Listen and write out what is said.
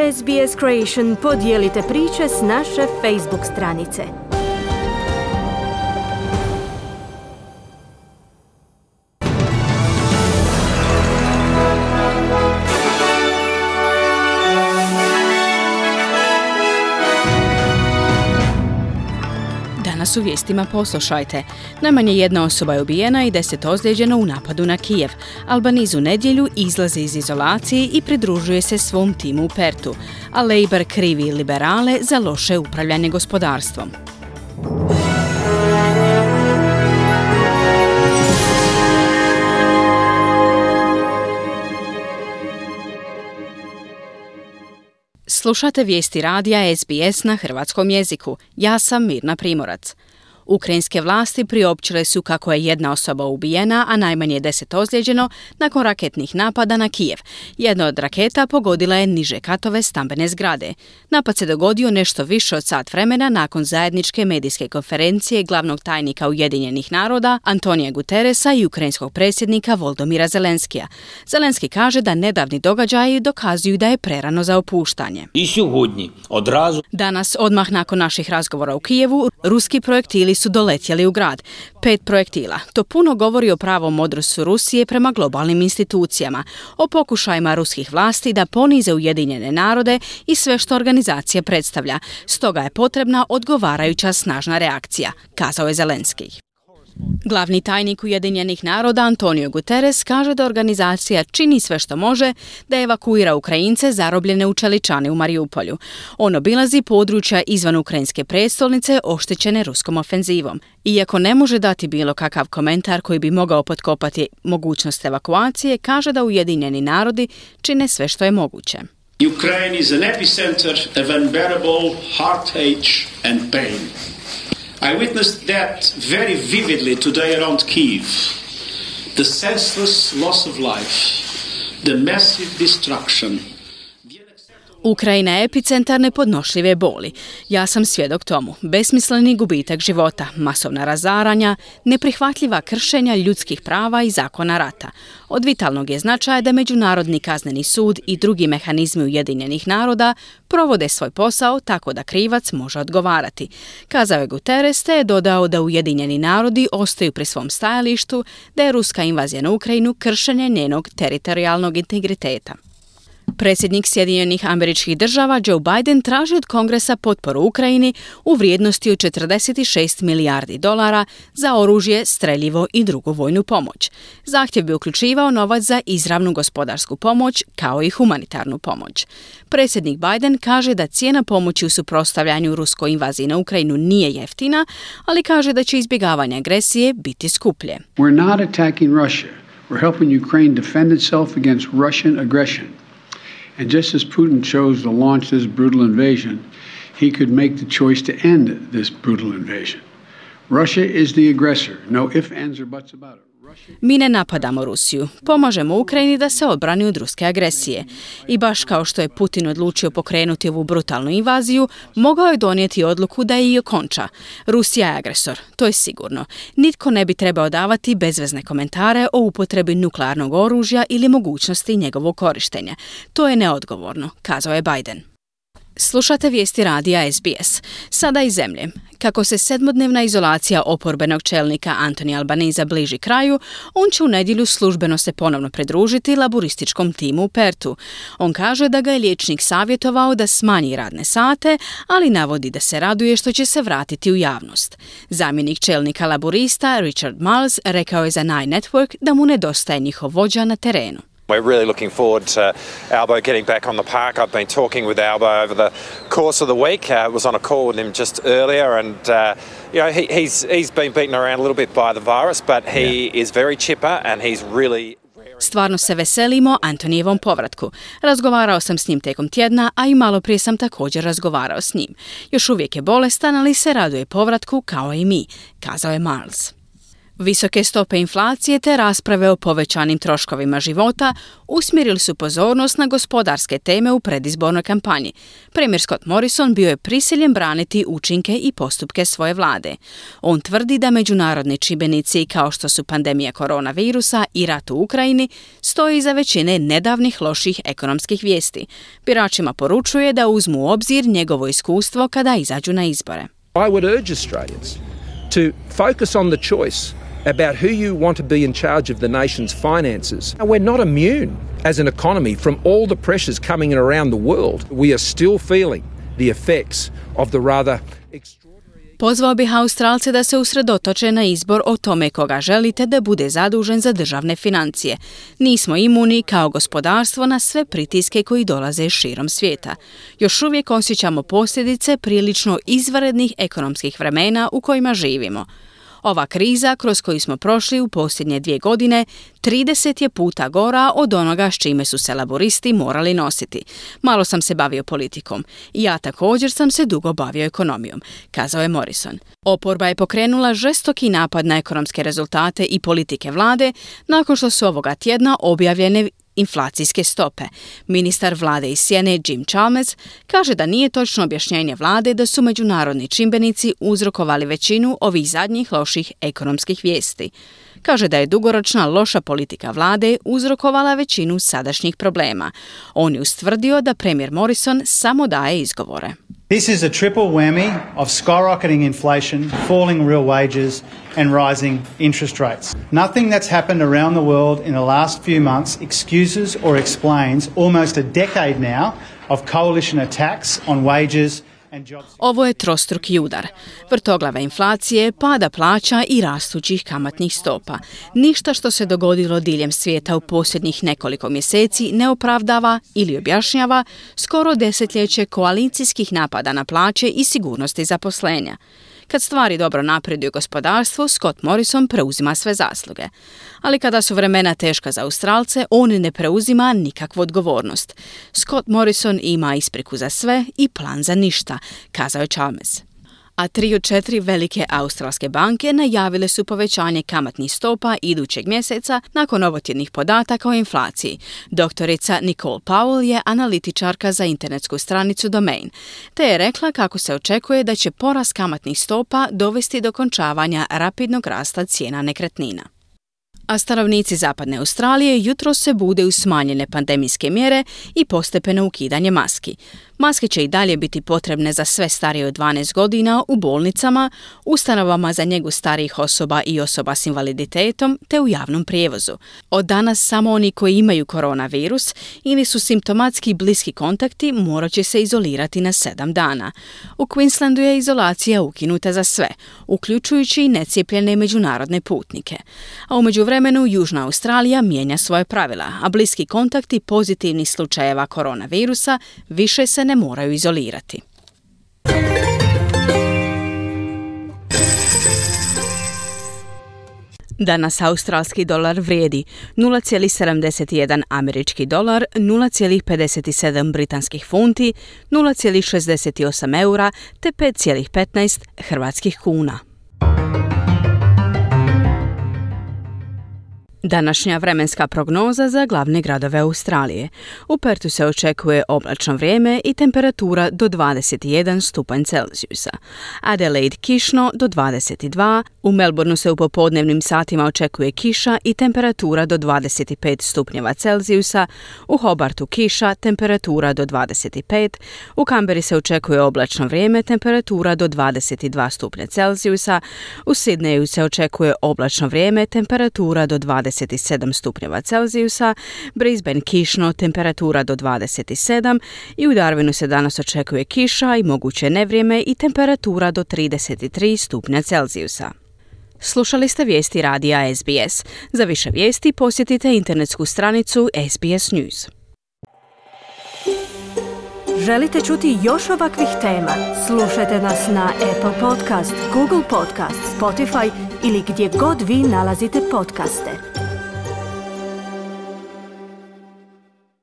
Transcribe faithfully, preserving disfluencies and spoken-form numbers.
S B S Creation podijelite priče s naše Facebook stranice. Danas u vijestima poslušajte. Najmanje jedna osoba je ubijena i deset ozlijeđeno u napadu na Kijev. Albanese u nedjelju izlazi iz izolacije i pridružuje se svom timu u Pertu, a Labour krivi liberale za loše upravljanje gospodarstvom. Slušate vijesti radija S B S na hrvatskom jeziku. Ja sam Mirna Primorac. Ukrajinske vlasti priopćile su kako je jedna osoba ubijena, a najmanje deset ozlijeđeno nakon raketnih napada na Kijev. Jedna od raketa pogodila je niže katove stambene zgrade. Napad se dogodio nešto više od sat vremena nakon zajedničke medijske konferencije glavnog tajnika Ujedinjenih naroda Antonija Guterresa i ukrajinskog predsjednika Volodymyra Zelenskija. Zelenski kaže da nedavni događaji dokazuju da je prerano za opuštanje. Danas, odmah nakon naših razgovora u Kijevu, ruski projektili su doletjeli u grad. Pet projektila. To puno govori o pravom odnosu Rusije prema globalnim institucijama, o pokušajima ruskih vlasti da ponize Ujedinjene narode i sve što organizacija predstavlja. Stoga je potrebna odgovarajuća snažna reakcija, kazao je Zelenski. Glavni tajnik Ujedinjenih naroda Antonio Guterres kaže da organizacija čini sve što može da evakuira Ukrajince zarobljene u Čeličani u Mariupolju. On obilazi područja izvan ukrajinske prijestolnice oštećene ruskom ofenzivom. Iako ne može dati bilo kakav komentar koji bi mogao potkopati mogućnost evakuacije, kaže da Ujedinjeni narodi čine sve što je moguće. Ukraine is an epicenter of unbearable heartache and pain. I witnessed that very vividly today around Kyiv. The senseless loss of life, the massive destruction. Ukrajina je epicentar nepodnošljive boli. Ja sam svjedok tomu. Besmisleni gubitak života, masovna razaranja, neprihvatljiva kršenja ljudskih prava i zakona rata. Od vitalnog je značaja da Međunarodni kazneni sud i drugi mehanizmi Ujedinjenih naroda provode svoj posao tako da krivac može odgovarati. Kazao je Guterres, te je dodao da Ujedinjeni narodi ostaju pri svom stajalištu da je ruska invazija na Ukrajinu kršenje njenog teritorijalnog integriteta. Predsjednik Sjedinjenih Američkih Država Joe Biden traži od Kongresa potporu Ukrajini u vrijednosti od četrdeset šest milijardi dolara za oružje, streljivo i drugu vojnu pomoć. Zahtjev bi uključivao novac za izravnu gospodarsku pomoć kao i humanitarnu pomoć. Predsjednik Biden kaže da cijena pomoći u suprotstavljanju ruskoj invaziji na Ukrajinu nije jeftina, ali kaže da će izbjegavanje agresije biti skuplje. We're not attacking Russia. We're helping Ukraine defend itself against Russian aggression. And just as Putin chose to launch this brutal invasion, he could make the choice to end this brutal invasion. Russia is the aggressor. No ifs, ands or buts about it. Mi ne napadamo Rusiju, pomažemo Ukrajini da se odbrani od ruske agresije. I baš kao što je Putin odlučio pokrenuti ovu brutalnu invaziju, mogao je donijeti odluku da je i okonča. Rusija je agresor, to je sigurno. Nitko ne bi trebao davati bezvezne komentare o upotrebi nuklearnog oružja ili mogućnosti njegovog korištenja. To je neodgovorno, kazao je Biden. Slušate vijesti radija S B S. Sada iz zemlje. Kako se sedmodnevna izolacija oporbenog čelnika Anthony Albanese bliži kraju, on će u nedjelju službeno se ponovno pridružiti laburističkom timu u Pertu. On kaže da ga je liječnik savjetovao da smanji radne sate, ali navodi da se raduje što će se vratiti u javnost. Zamjenik čelnika laburista Richard Marles rekao je za Nine Network da mu nedostaje njihov vođa na terenu. We're really looking forward to Albo getting back on the park. I've been talking with Albo over the course of the week. I uh, was on a call with him just earlier, and uh, you know he, he's he's been beaten around a little bit by the virus, but he yeah. is very chipper and he's really. Stvarno se veselimo Antonijevom povratku. Razgovarao sam s njim tijekom tjedna, a i malo prije sam također razgovarao s njim. Još uvijek je bolestan, ali se raduje povratku kao i mi, kazao je Marles. Visoke stope inflacije te rasprave o povećanim troškovima života usmjerili su pozornost na gospodarske teme u predizbornoj kampanji. Premijer Scott Morrison bio je prisiljen braniti učinke i postupke svoje vlade. On tvrdi da međunarodni čimbenici kao što su pandemija koronavirusa i rat u Ukrajini stoji iza većine nedavnih loših ekonomskih vijesti. Biračima poručuje da uzmu u obzir njegovo iskustvo kada izađu na izbore. I would urge Australians to focus on the choice about who you want to be in charge of the nation's finances. We're not immune as an economy from all the pressures coming in around the world. We are still feeling the effects of the rather extraordinary... Pozvao bih Australce da se usredotoče na izbor o tome koga želite da bude zadužen za državne financije. Nismo imuni kao gospodarstvo na sve pritiske koji dolaze širom svijeta. Još uvijek osjećamo posljedice prilično izvanrednih ekonomskih vremena u kojima živimo. Ova kriza kroz koju smo prošli u posljednje dvije godine trideset je puta gora od onoga s čime su se laboristi morali nositi. Malo sam se bavio politikom. I ja također sam se dugo bavio ekonomijom, kazao je Morrison. Oporba je pokrenula žestoki napad na ekonomske rezultate i politike vlade nakon što su ovoga tjedna objavljene inflacijske stope. Ministar vlade iz Sjene Jim Chalmers kaže da nije točno objašnjenje vlade da su međunarodni čimbenici uzrokovali većinu ovih zadnjih loših ekonomskih vijesti. Kaže da je dugoročna loša politika vlade uzrokovala većinu sadašnjih problema. On je ustvrdio da premijer Morrison samo daje izgovore. This is a triple whammy of skyrocketing inflation, falling real wages and rising interest rates. Nothing that's happened around the world in the last few months excuses or explains almost a decade now of coalition attacks on wages. Ovo je trostruki udar. Vrtoglave inflacije, pada plaća i rastućih kamatnih stopa. Ništa što se dogodilo diljem svijeta u posljednjih nekoliko mjeseci ne opravdava ili objašnjava skoro desetljeće koalicijskih napada na plaće i sigurnosti zaposlenja. Kad stvari dobro napreduju gospodarstvo, Scott Morrison preuzima sve zasluge. Ali kada su vremena teška za Australce, on ne preuzima nikakvu odgovornost. Scott Morrison ima ispriku za sve i plan za ništa, kazao je Chalmers. A tri od četiri velike australske banke najavile su povećanje kamatnih stopa idućeg mjeseca nakon ovotjednih podataka o inflaciji. Doktorica Nicole Powell je analitičarka za internetsku stranicu Domain, te je rekla kako se očekuje da će porast kamatnih stopa dovesti do končavanja rapidnog rasta cijena nekretnina. A stanovnici zapadne Australije jutro se bude uz smanjene pandemijske mjere i postepeno ukidanje maski. Maske će i dalje biti potrebne za sve starije od dvanaest godina u bolnicama, ustanovama za njegu starijih osoba i osoba s invaliditetom te u javnom prijevozu. Od danas samo oni koji imaju koronavirus ili su simptomatski bliski kontakti morat će se izolirati na sedam dana. U Queenslandu je izolacija ukinuta za sve, uključujući i necijepljene međunarodne putnike. A u međuvremenu Južna Australija mijenja svoje pravila, a bliski kontakti pozitivnih slučajeva koronavirusa više se ne moraju izolirati. Danas australski dolar vrijedi nula zarez sedamdeset jedan američki dolar, nula zarez pedeset sedam britanskih funti, nula zarez šezdeset osam eura te pet zarez petnaest hrvatskih kuna. Današnja vremenska prognoza za glavne gradove Australije. U Pertu se očekuje oblačno vrijeme i temperatura do dvadeset jedan stupanj Celzijusa. Adelaide kišno do dvadeset dva, u Melbourneu se u popodnevnim satima očekuje kiša i temperatura do dvadeset pet stupnjeva Celzijusa, u Hobartu kiša, temperatura do dvadeset pet, u Canberri se očekuje oblačno vrijeme, temperatura do dvadeset dva stupnja Celzijusa, u Sydneyu se očekuje oblačno vrijeme, temperatura do dvadeset sedam stupnjeva Celzijusa, Brisbane kišno, temperatura do dvadeset sedam i u Darwinu se danas očekuje kiša i moguće nevrijeme i temperatura do trideset tri stupnja Celzijusa. Slušali ste vijesti radija S B S. Za više vijesti posjetite internetsku stranicu S B S News. Želite čuti još ovakvih tema? Slušajte nas na Apple Podcast, Google Podcast, Spotify ili gdje god vi nalazite podcaste.